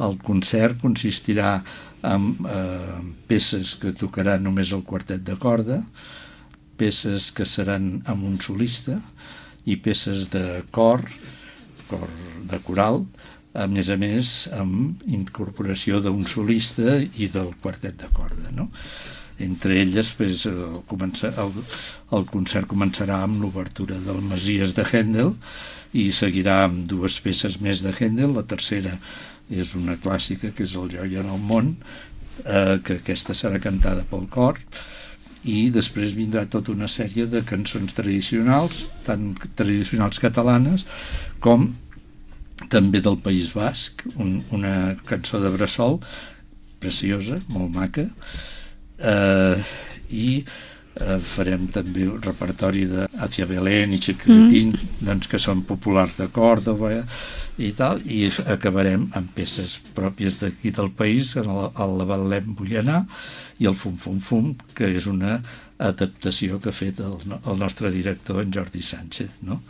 El concert consistirà en peces que tocarà només el quartet de corda, peces que seran amb un solista i peces de cor de coral, a més amb incorporació d'un solista i del quartet de corda, no? Entre elles, el concert començarà amb l'obertura del Messies de Händel i seguirà amb dues peces més de Händel. La tercera és una clàssica, que és el Joia en el món, que aquesta serà cantada pel cor, i després vindrà tota una sèrie de cançons tradicionals, tant tradicionals catalanes com també del País Basc, una cançó de bressol preciosa, molt maca, i farem també un repertori de Hacia Belén i Chiquilitín, doncs, que són populars de Còrdova i tal, i acabarem amb peces pròpies d'aquí del país, el Betlem vull anar i el Fum Fum Fum, que és una adaptació que ha fet el nostre director, en Jordi Sánchez, no?